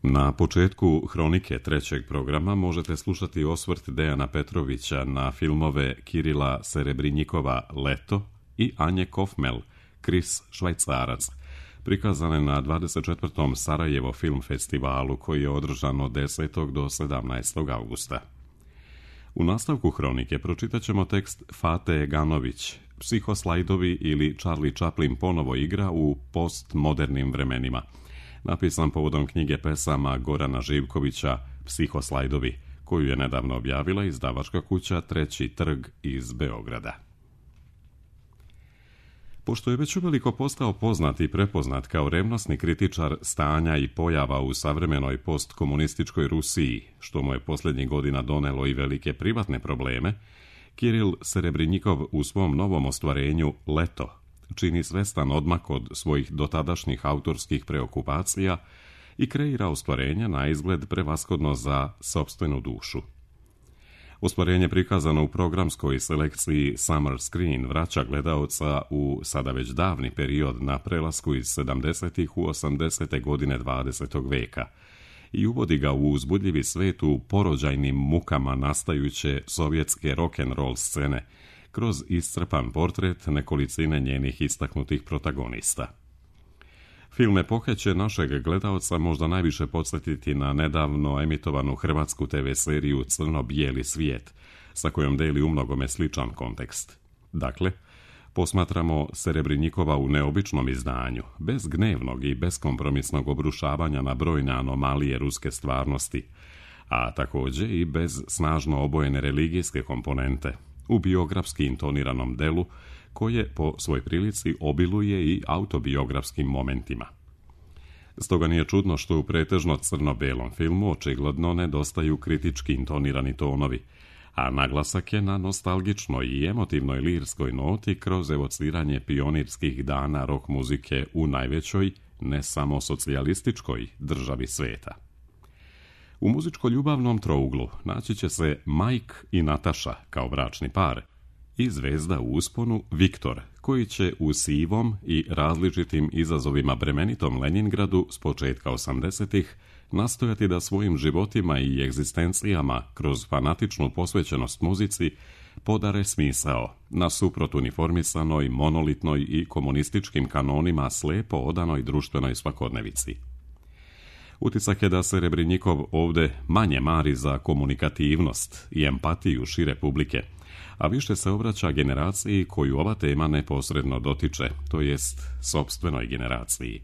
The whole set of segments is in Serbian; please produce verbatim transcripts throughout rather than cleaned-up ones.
Na početku hronike trećeg programa možete slušati osvrt Dejana Petrovića na filmove Kirila Serebrinjikova Leto i Anje Kofmel Kris Švajcarac, prikazane na dvadeset četvrtom Sarajevo film festivalu koji je održan od desetog do sedamnaestog avgusta. U nastavku hronike pročitat ćemo tekst Fate Ganović, Psihoslajdovi ili Charlie Chaplin ponovo igra u postmodernim vremenima, napisan povodom knjige pesama Gorana Živkovića Psihoslajdovi, koju je nedavno objavila izdavačka kuća Treći trg iz Beograda. Pošto je već uveliko postao poznat i prepoznat kao revnosni kritičar stanja i pojava u savremenoj postkomunističkoj Rusiji, što mu je posljednjih godina donelo i velike privatne probleme, Kiril Serebrinjikov u svom novom ostvarenju Leto čini svestan odmak od svojih dotadašnjih autorskih preokupacija i kreira ostvarenja na izgled prevashodno za sopstvenu dušu. Ostvarenje prikazano u programskoj selekciji Summer Screen vraća gledaoca u sada već davni period na prelasku iz sedamdesetih u osamdesete godine dvadesetog veka i uvodi ga u uzbudljivi svet u porođajnim mukama nastajuće sovjetske rock'n'roll scene kroz iscrpan portret nekolicine njenih istaknutih protagonista. Film epohe će našeg gledaoca možda najviše podsjetiti na nedavno emitovanu hrvatsku te ve seriju Crno-bijeli svijet, sa kojom deli umnogome sličan kontekst. Dakle, posmatramo Serebrinjikova u neobičnom izdanju, bez gnevnog i beskompromisnog obrušavanja na brojne anomalije ruske stvarnosti, a također i bez snažno obojene religijske komponente, u biografski intoniranom delu, koje po svoj prilici obiluje i autobiografskim momentima. Stoga nije čudno što u pretežno crno-belom filmu očigledno nedostaju kritički intonirani tonovi, a naglasak je na nostalgičnoj i emotivnoj lirskoj noti kroz evociranje pionirskih dana rock muzike u najvećoj, ne samo socijalističkoj državi sveta. U muzičko-ljubavnom trouglu naći će se Mike i Nataša kao bračni par i zvezda u usponu Viktor, koji će u sivom i različitim izazovima bremenitom Leningradu s početka osamdesetih nastojati da svojim životima i egzistencijama kroz fanatičnu posvećenost muzici podare smisao, nasuprot uniformisanoj, monolitnoj i komunističkim kanonima slepo odanoj društvenoj svakodnevici. Utisak je da Serebrinjikov ovde manje mari za komunikativnost i empatiju šire publike, a više se obraća generaciji koju ova tema neposredno dotiče, to jest sopstvenoj generaciji.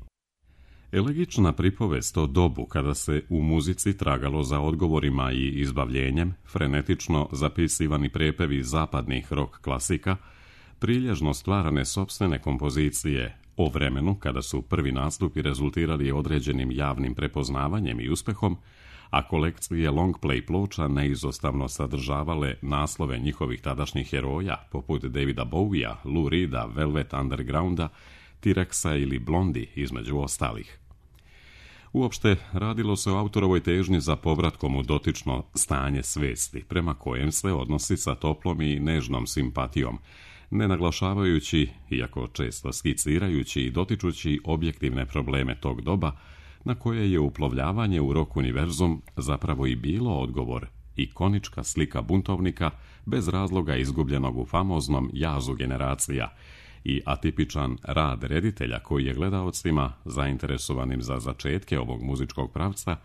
Elegična pripovest o dobu kada se u muzici tragalo za odgovorima i izbavljenjem, frenetično zapisivani prepevi zapadnih rock klasika, prilježno stvarane sopstvene kompozicije o vremenu kada su prvi nastupi rezultirali određenim javnim prepoznavanjem i uspehom, a kolekcije long play ploča neizostavno sadržavale naslove njihovih tadašnjih heroja, poput Davida Bowija, Lou Reeda, Velvet Undergrounda, T-Rexa ili Blondie, između ostalih. Uopšte, radilo se o autorovoj težnji za povratkom u dotično stanje svesti, prema kojem se odnosi sa toplom i nežnom simpatijom, ne naglašavajući, iako često skicirajući i dotičući objektivne probleme tog doba, na koje je uplovljavanje u rock univerzum zapravo i bilo odgovor, ikonička slika buntovnika bez razloga izgubljenog u famoznom jazu generacija i atipičan rad reditelja koji je gledaocima, zainteresovanim za začetke ovog muzičkog pravca,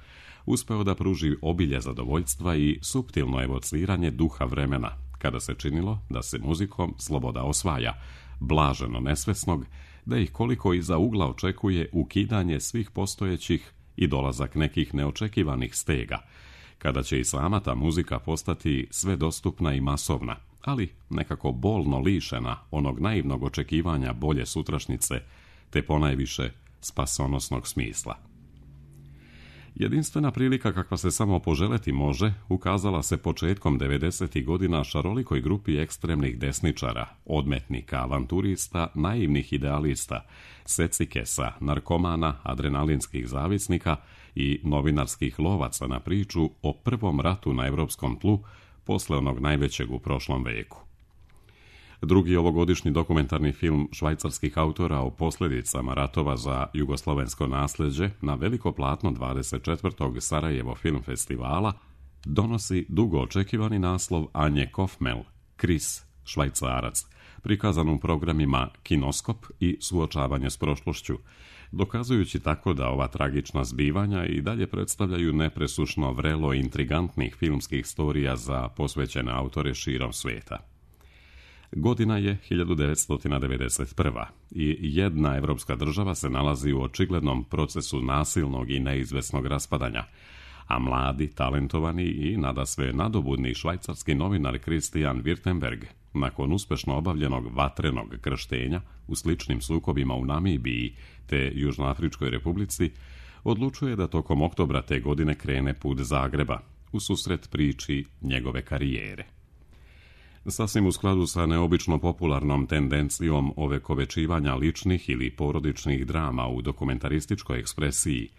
uspeo da pruži obilje zadovoljstva i suptilno evociranje duha vremena, kada se činilo da se muzikom sloboda osvaja, blaženo nesvesnog, da ih koliko iza ugla očekuje ukidanje svih postojećih i dolazak nekih neočekivanih stega, kada će i sama ta muzika postati sve dostupna i masovna, ali nekako bolno lišena onog naivnog očekivanja bolje sutrašnjice, te ponajviše spasonosnog smisla. Jedinstvena prilika kakva se samo poželeti može, ukazala se početkom devedesetih godina šarolikoj grupi ekstremnih desničara, odmetnika, avanturista, naivnih idealista, secikesa, narkomana, adrenalinskih zavisnika i novinarskih lovaca na priču o prvom ratu na evropskom tlu posle onog najvećeg u prošlom veku. Drugi ovogodišnji dokumentarni film švajcarskih autora o posljedicama ratova za jugoslovensko nasljeđe na veliko platno dvadeset četvrtog Sarajevo film festivala donosi dugo očekivani naslov Anje Kofmel, Kris, Švajcarac, prikazan u programima Kinoskop i Suočavanje s prošlošću, dokazujući tako da ova tragična zbivanja i dalje predstavljaju nepresušno vrelo intrigantnih filmskih storija za posvećene autore širom svijeta. Godina je hiljadu devetsto devedeset prva i jedna evropska država se nalazi u očiglednom procesu nasilnog i neizvesnog raspadanja, a mladi, talentovani i nadasve nadobudni švajcarski novinar Christian Wirtenberg, nakon uspješno obavljenog vatrenog krštenja u sličnim sukobima u Namibiji te Južnoafričkoj republici, odlučuje da tokom oktobra te godine krene put Zagreba, u susret priči njegove karijere. Sasvim u skladu sa neobično popularnom tendencijom ovekovečivanja ličnih ili porodičnih drama u dokumentarističkoj ekspresiji,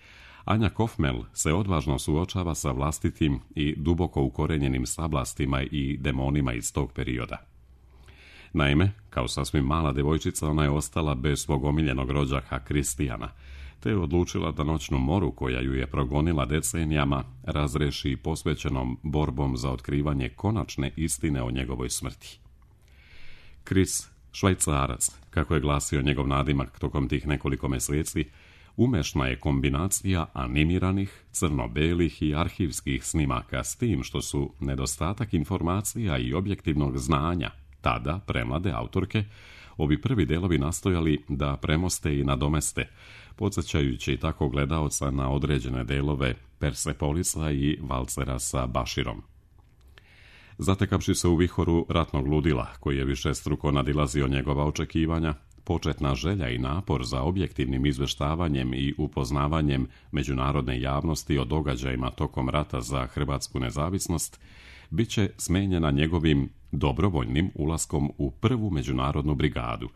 Anja Kofmel se odvažno suočava sa vlastitim i duboko ukorenjenim sablastima i demonima iz tog perioda. Naime, kao sasvim mala devojčica, ona je ostala bez svog omiljenog rođaka Kristijana, te je odlučila da noćnu moru koja ju je progonila decenijama razreši posvećenom borbom za otkrivanje konačne istine o njegovoj smrti. Kris, Švajcarac, kako je glasio njegov nadimak tokom tih nekoliko mjeseci, umešna je kombinacija animiranih, crno-belih i arhivskih snimaka s tim što su nedostatak informacija i objektivnog znanja tada premlade autorke ovi prvi delovi nastojali da premoste i nadomeste, podsjećajući tako gledaoca na određene delove Persepolisa i Valcera sa Baširom. Zatekavši se u vihoru ratnog ludila, koji je višestruko nadilazio njegova očekivanja, početna želja i napor za objektivnim izvještavanjem i upoznavanjem međunarodne javnosti o događajima tokom rata za hrvatsku nezavisnost bit će smenjena njegovim dobrovoljnim ulaskom u prvu međunarodnu brigadu,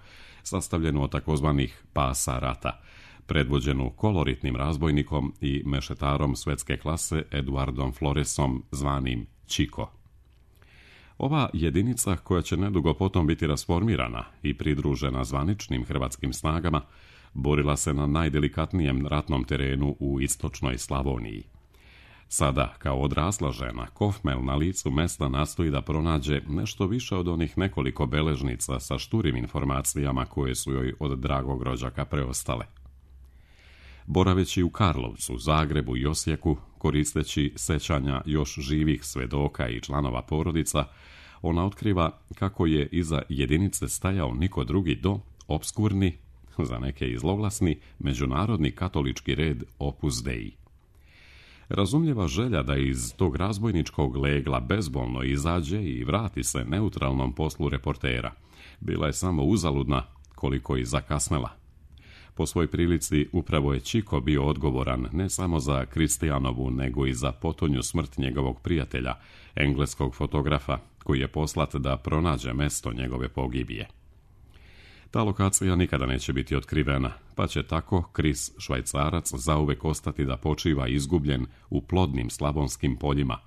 sastavljenu od takozvanih pasa rata, predvođenu koloritnim razbojnikom i mešetarom svetske klase Eduardom Floresom, zvanim Čiko. Ova jedinica, koja će nedugo potom biti rasformirana i pridružena zvaničnim hrvatskim snagama, borila se na najdelikatnijem ratnom terenu u istočnoj Slavoniji. Sada, kao odrasla žena, Kofmel na licu mesta nastoji da pronađe nešto više od onih nekoliko beležnica sa šturim informacijama koje su joj od dragog rođaka preostale. Boraveći u Karlovcu, Zagrebu i Osijeku, koristeći sećanja još živih svedoka i članova porodica, ona otkriva kako je iza jedinice stajao niko drugi do opskurni, za neke i zloglasni, međunarodni katolički red Opus Dei. Razumljiva želja da iz tog razbojničkog legla bezbolno izađe i vrati se neutralnom poslu reportera bila je samo uzaludna, koliko i zakasnela. Po svoj prilici upravo je Čiko bio odgovoran ne samo za Kristijanovu, nego i za potonju smrt njegovog prijatelja, engleskog fotografa, koji je poslat da pronađe mesto njegove pogibije. Ta lokacija nikada neće biti otkrivena, pa će tako Kris, Švajcarac, zauvek ostati da počiva izgubljen u plodnim slavonskim poljima,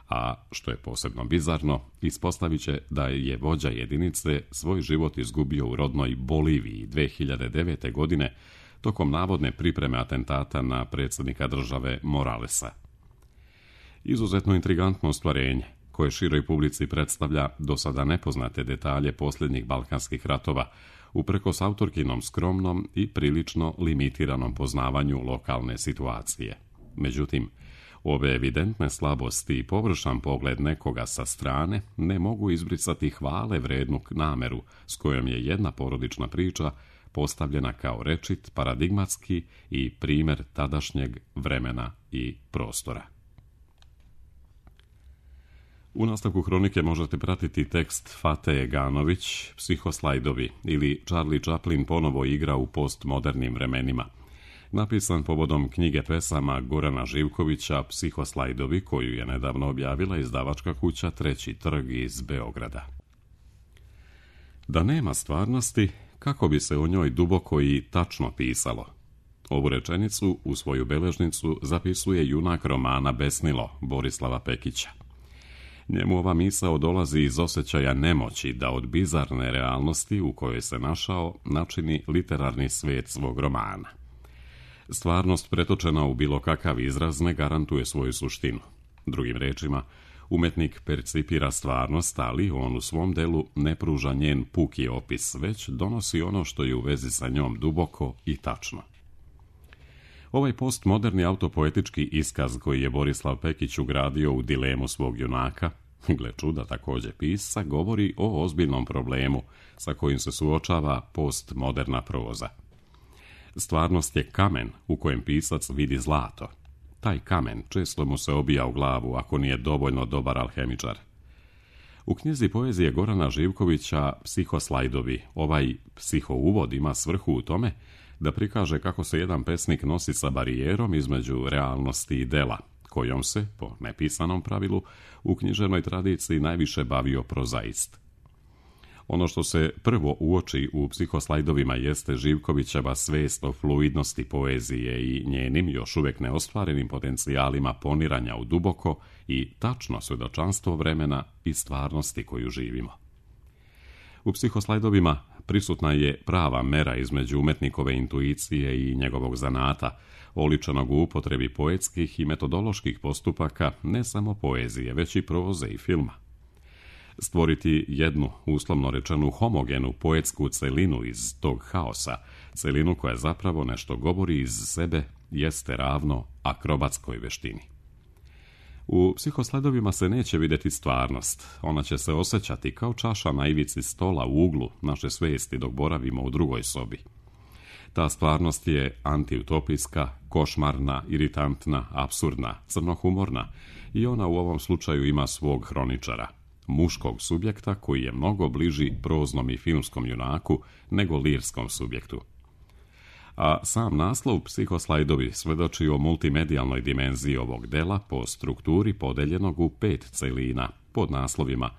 a, što je posebno bizarno, ispostavit će da je vođa jedinice svoj život izgubio u rodnoj Boliviji dve hiljade devete. godine tokom navodne pripreme atentata na predsjednika države Moralesa. Izuzetno intrigantno ostvarenje, koje široj publici predstavlja do sada nepoznate detalje posljednjih balkanskih ratova, uprkos autorkinom skromnom i prilično limitiranom poznavanju lokalne situacije. Međutim, ove evidentne slabosti i površan pogled nekoga sa strane ne mogu izbrisati hvale vrednu nameru s kojom je jedna porodična priča postavljena kao rečit, paradigmatski i primjer tadašnjeg vremena i prostora. U nastavku hronike možete pratiti tekst Fate Ganović, Psihoslajdovi, ili Charlie Chaplin ponovo igra u postmodernim vremenima, napisan povodom knjige pesama Gorana Živkovića Psihoslajdovi, koju je nedavno objavila izdavačka kuća Treći trg iz Beograda. Da nema stvarnosti, kako bi se o njoj duboko i tačno pisalo? Ovu rečenicu u svoju beležnicu zapisuje junak romana Besnilo Borislava Pekića. Njemu ova misao dolazi iz osjećaja nemoći da od bizarne realnosti u kojoj se našao načini literarni svijet svog romana. Stvarnost pretočena u bilo kakav izraz ne garantuje svoju suštinu. Drugim rečima, umetnik percipira stvarnost, ali on u svom delu ne pruža njen puki opis, već donosi ono što je u vezi sa njom duboko i tačno. Ovaj postmoderni autopoetički iskaz koji je Borislav Pekić ugradio u dilemu svog junaka, gle čuda također pisca, govori o ozbiljnom problemu sa kojim se suočava postmoderna proza. Stvarnost je kamen u kojem pisac vidi zlato. Taj kamen često mu se obija u glavu ako nije dovoljno dobar alhemičar. U knjizi poezije Gorana Živkovića Psihoslajdovi ovaj psihouvod ima svrhu u tome da prikaže kako se jedan pesnik nosi sa barijerom između realnosti i dela, kojom se, po nepisanom pravilu, u književnoj tradiciji najviše bavio prozaist. Ono što se prvo uoči u Psihoslajdovima jeste Živkovićeva svijest o fluidnosti poezije i njenim još uvijek neostvarenim potencijalima poniranja u duboko i tačno svjedočanstvo vremena i stvarnosti koju živimo. U Psihoslajdovima prisutna je prava mera između umetnikove intuicije i njegovog zanata, oličenog u upotrebi poetskih i metodoloških postupaka ne samo poezije, već i proze i filma. Stvoriti jednu, uslovno rečenu, homogenu poetsku celinu iz tog haosa, celinu koja zapravo nešto govori iz sebe, jeste ravno akrobatskoj veštini. U Psihosledovima se neće vidjeti stvarnost, ona će se osjećati kao čaša na ivici stola u uglu naše svijesti dok boravimo u drugoj sobi. Ta stvarnost je antiutopijska, košmarna, iritantna, apsurdna, crnohumorna i ona u ovom slučaju ima svog hroničara, muškog subjekta koji je mnogo bliži proznom i filmskom junaku nego lirskom subjektu. A sam naslov Psihoslajdovi svjedoči o multimedijalnoj dimenziji ovog dela po strukturi podeljenog u pet celina pod naslovima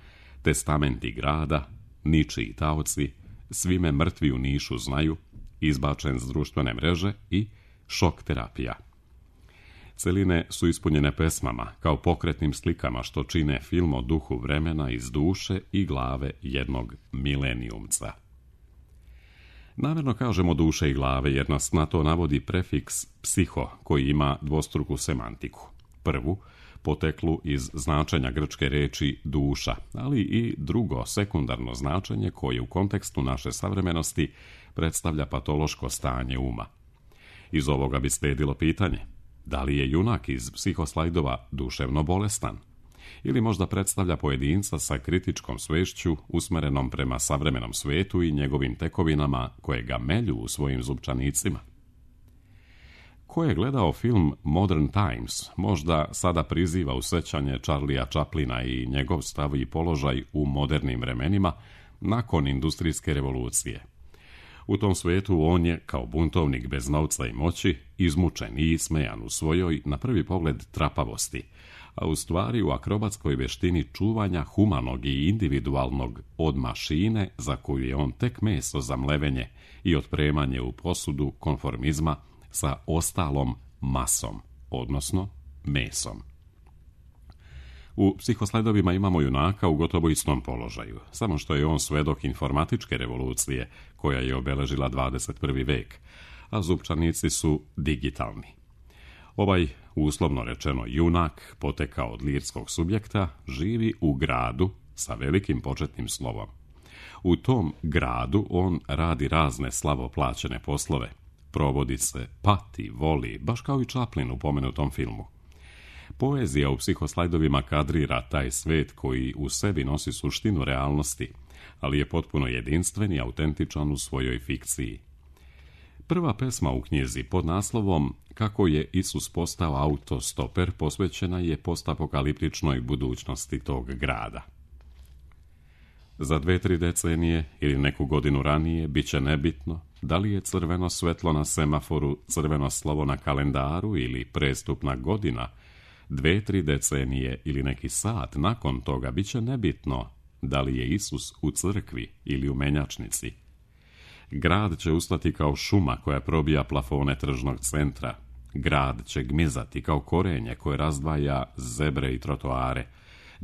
Testamenti grada, Ničiji taoci, Svi me mrtvi u Nišu znaju, Izbačen s društvene mreže i Šok terapija. Celine su ispunjene pesmama, kao pokretnim slikama što čine film o duhu vremena iz duše i glave jednog milenijumca. Namjerno kažemo duše i glave jer nas na to navodi prefiks psiho koji ima dvostruku semantiku. Prvu, poteklu iz značenja grčke reči duša, ali i drugo, sekundarno značenje koje u kontekstu naše savremenosti predstavlja patološko stanje uma. Iz ovoga bi slijedilo pitanje: da li je junak iz Psihoslajdova duševno bolestan? Ili možda predstavlja pojedinca sa kritičkom svešću usmerenom prema savremenom svijetu i njegovim tekovinama koje ga melju u svojim zupčanicima? Ko je gledao film Modern Times, možda sada priziva u sećanje Charlie'a Chaplina i njegov stav i položaj u modernim vremenima nakon industrijske revolucije. U tom svijetu on je, kao buntovnik bez novca i moći, izmučen i ismejan u svojoj, na prvi pogled, trapavosti, a u stvari u akrobatskoj veštini čuvanja humanog i individualnog od mašine za koju je on tek meso za mlevenje i otpremanje u posudu konformizma sa ostalom masom, odnosno mesom. U Psihosledovima imamo junaka u gotovo istom položaju, samo što je on svedok informatičke revolucije koja je obeležila dvadeset prvi vek, a zupčanici su digitalni. Ovaj, uslovno rečeno junak, potekao od lirskog subjekta, živi u gradu sa velikim početnim slovom. U tom gradu on radi razne slabo plaćene poslove, provodi se, pati, voli, baš kao i Chaplin u pomenutom filmu. Poezija u Psihoslajdovima kadrira taj svet koji u sebi nosi suštinu realnosti, ali je potpuno jedinstven i autentičan u svojoj fikciji. Prva pesma u knjizi pod naslovom Kako je Isus postao autostoper posvećena je postapokaliptičnoj budućnosti tog grada. Za dve, tri decenije ili neku godinu ranije bit će nebitno da li je crveno svetlo na semaforu, crveno slovo na kalendaru ili prestupna godina. Dve, tri decenije ili neki sat nakon toga bit će nebitno da li je Isus u crkvi ili u menjačnici. Grad će ustati kao šuma koja probija plafone tržnog centra. Grad će gmizati kao korenje koje razdvaja zebre i trotoare.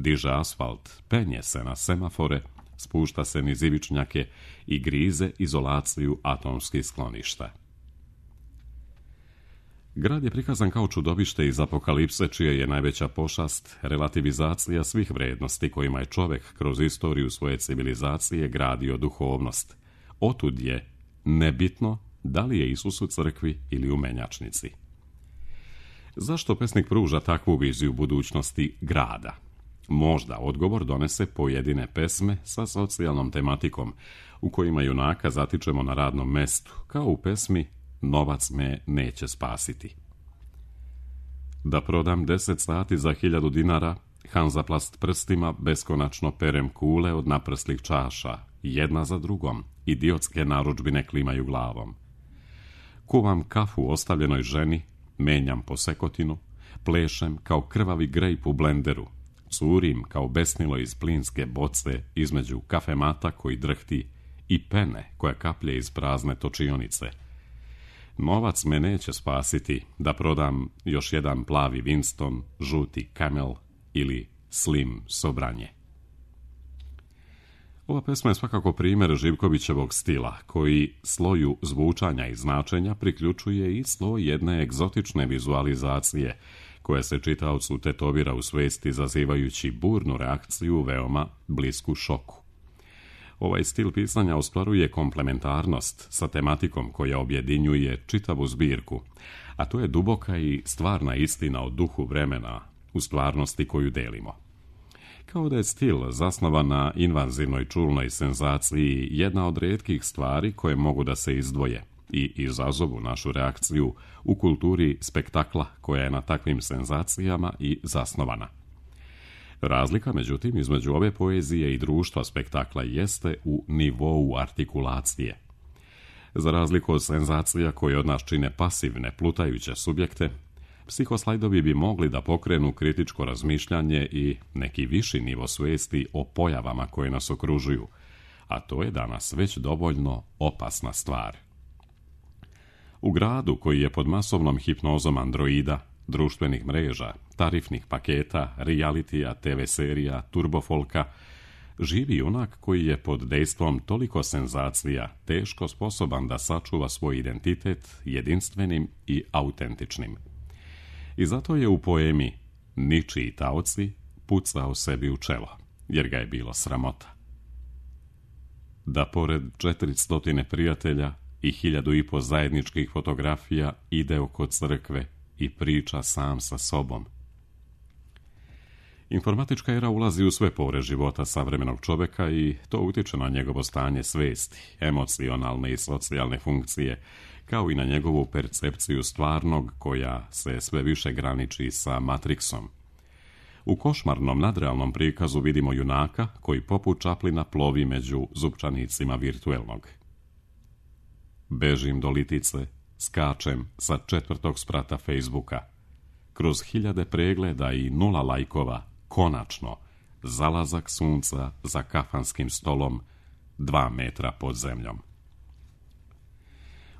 diže asfalt, penje se na semafore, spušta se niz ivičnjake i grize izolaciju atomskih skloništa. Grad je prikazan kao čudovište iz apokalipse, čija je najveća pošast relativizacija svih vrednosti kojima je čovjek kroz istoriju svoje civilizacije gradio duhovnost. Otud je nebitno da li je Isus u crkvi ili u menjačnici. Zašto pesnik pruža takvu viziju budućnosti grada? Možda odgovor donese pojedine pesme sa socijalnom tematikom, u kojima junaka zatičemo na radnom mestu, kao u pesmi Novac me neće spasiti. Da prodam deset sati za hiljadu dinara, Hanzaplast prstima beskonačno perem kule od naprslih čaša, jedna za drugom, idiotske narudžbine klimaju glavom. Kuvam kafu ostavljenoj ženi, menjam po sekotinu, plešem kao krvavi grejp u blenderu, curim kao besnilo iz plinske boce između kafemata koji drhti i pene koja kaplje iz prazne točionice. Novac me neće spasiti da prodam još jedan plavi Winston, žuti Camel ili Slim Sobranje. Ova pesma je svakako primjer Živkovićevog stila, koji sloju zvučanja i značenja priključuje i sloj jedne egzotične vizualizacije, koja se čitaocu tetovira u svesti izazivajući burnu reakciju veoma blisku šoku. Ovaj stil pisanja ostvaruje komplementarnost sa tematikom koja objedinjuje čitavu zbirku, a to je duboka i stvarna istina o duhu vremena u stvarnosti koju delimo. Kao da je stil zasnovan na invazivnoj čulnoj senzaciji jedna od rijetkih stvari koje mogu da se izdvoje i izazovu našu reakciju u kulturi spektakla koja je na takvim senzacijama i zasnovana. Razlika, međutim, između ove poezije i društva spektakla jeste u nivou artikulacije. Za razliku od senzacija koje od nas čine pasivne, plutajuće subjekte, psihoslajdovi bi mogli da pokrenu kritičko razmišljanje i neki viši nivo svijesti o pojavama koje nas okružuju, a to je danas već dovoljno opasna stvar. U gradu koji je pod masovnom hipnozom androida, društvenih mreža, tarifnih paketa, realitija, te ve serija, turbofolka, živi junak koji je pod dejstvom toliko senzacija teško sposoban da sačuva svoj identitet jedinstvenim i autentičnim. I zato je u poemi Ničiji taoci pucao sebi u čelo, jer ga je bilo sramota. Da pored četiristotine prijatelja i hiljadu i po zajedničkih fotografija ide oko crkve i priča sam sa sobom. Informatička era ulazi u sve pore života savremenog čovjeka i to utiče na njegovo stanje svesti, emocionalne i socijalne funkcije, kao i na njegovu percepciju stvarnog koja se sve više graniči sa Matrixom. U košmarnom nadrealnom prikazu vidimo junaka koji poput Čaplina plovi među zupčanicima virtuelnog. Bežim do litice, skačem sa četvrtog sprata Facebooka. Kroz hiljade pregleda i nula lajkova, konačno, zalazak sunca za kafanskim stolom, dva metra pod zemljom.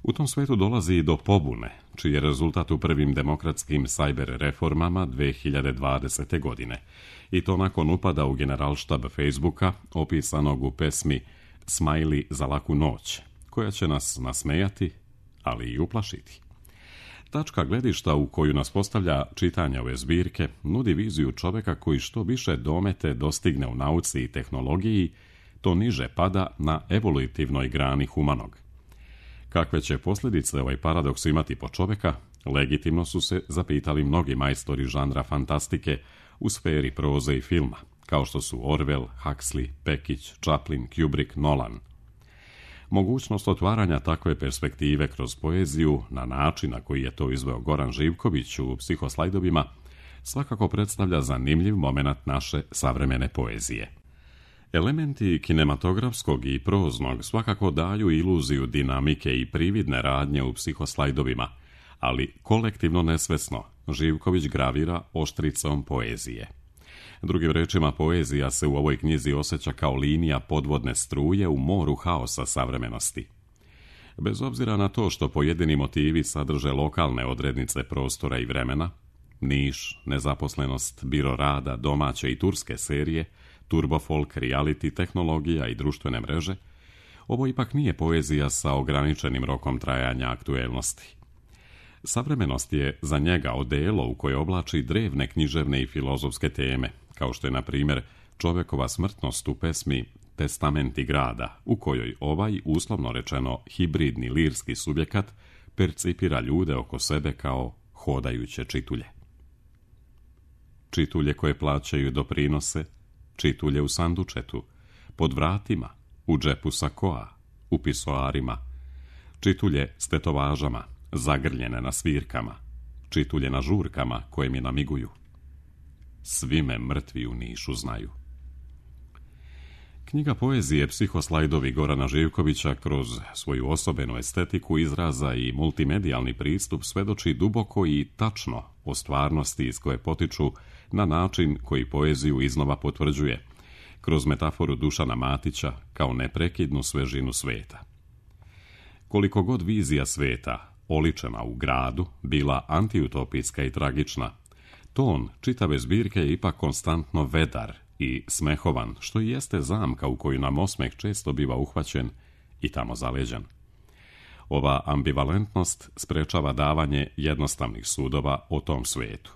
U tom svetu dolazi i do pobune, čiji je rezultat u prvim demokratskim sajber reformama dve hiljade dvadesete. godine, i to nakon upada u generalštab Facebooka, opisanog u pesmi Smajli za laku noć, koja će nas nasmejati, ali i uplašiti. Tačka gledišta u koju nas postavlja čitanje ove zbirke nudi viziju čovjeka koji što više domete dostigne u nauci i tehnologiji, to niže pada na evolutivnoj grani humanog. Kakve će posljedice ovaj paradoks imati po čovjeka, legitimno su se zapitali mnogi majstori žanra fantastike u sferi proze i filma, kao što su Orwell, Huxley, Pekić, Chaplin, Kubrick, Nolan. Mogućnost otvaranja takve perspektive kroz poeziju na način na koji je to izveo Goran Živković u Psihoslajdovima svakako predstavlja zanimljiv momenat naše savremene poezije. Elementi kinematografskog i proznog svakako daju iluziju dinamike i prividne radnje u Psihoslajdovima, ali kolektivno nesvesno Živković gravira oštricom poezije. Drugim rečima, poezija se u ovoj knjizi osjeća kao linija podvodne struje u moru haosa savremenosti. Bez obzira na to što pojedini motivi sadrže lokalne odrednice prostora i vremena, Niš, nezaposlenost, biro rada, domaće i turske serije, turbofolk, reality, tehnologija i društvene mreže, ovo ipak nije poezija sa ograničenim rokom trajanja aktuelnosti. Savremenost je za njega odelo u koje oblači drevne književne i filozofske teme, kao što je, na primjer, čovjekova smrtnost u pesmi Testamenti grada, u kojoj ovaj, uslovno rečeno, hibridni lirski subjekat percipira ljude oko sebe kao hodajuće čitulje. Čitulje koje plaćaju doprinose, čitulje u sandučetu, pod vratima, u džepu sakoa, u pisoarima, čitulje s tetovažama, zagrljene na svirkama, čitulje na žurkama koje mi namiguju. Svi me mrtvi u Nišu znaju. Knjiga poezije Psihoslajdovi Gorana Živkovića kroz svoju osobenu estetiku izraza i multimedijalni pristup svedoči duboko i tačno o stvarnosti iz koje potiču na način koji poeziju iznova potvrđuje, kroz metaforu Dušana Matića kao neprekidnu svežinu sveta. Koliko god vizija sveta, oličena u gradu, bila antiutopijska i tragična, ton čitave zbirke je ipak konstantno vedar i smehovan, što i jeste zamka u koju nam osmeh često biva uhvaćen i tamo zaleđen. Ova ambivalentnost sprečava davanje jednostavnih sudova o tom svetu.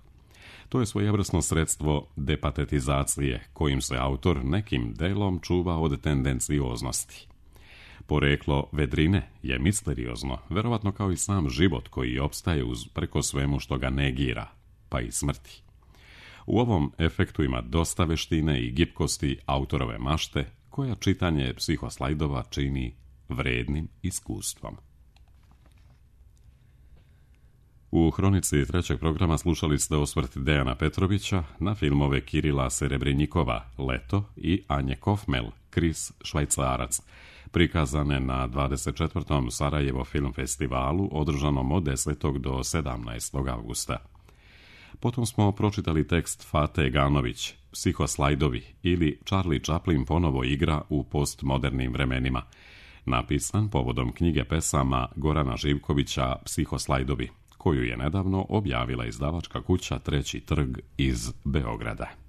To je svojevrsno sredstvo depatetizacije kojim se autor nekim delom čuva od tendencioznosti. Poreklo vedrine je misteriozno, verovatno kao i sam život koji opstaje uz preko svemu što ga negira, pa i smrti. U ovom efektu ima dosta veštine i gibkosti autorove mašte, koja čitanje Psihoslajdova čini vrednim iskustvom. U hronici trećeg programa slušali ste osvrt Dejana Petrovića na filmove Kirila Serebrinjikova Leto i Anje Kofmel Kris Švajcarac, prikazane na dvadeset četvrtom Sarajevo film festivalu održanom od desetog do sedamnaestog avgusta. Potom smo pročitali tekst Fate Ganović, Psihoslajdovi ili Charlie Chaplin ponovo igra u postmodernim vremenima, napisan povodom knjige pesama Gorana Živkovića Psihoslajdovi, koju je nedavno objavila izdavačka kuća Treći trg iz Beograda.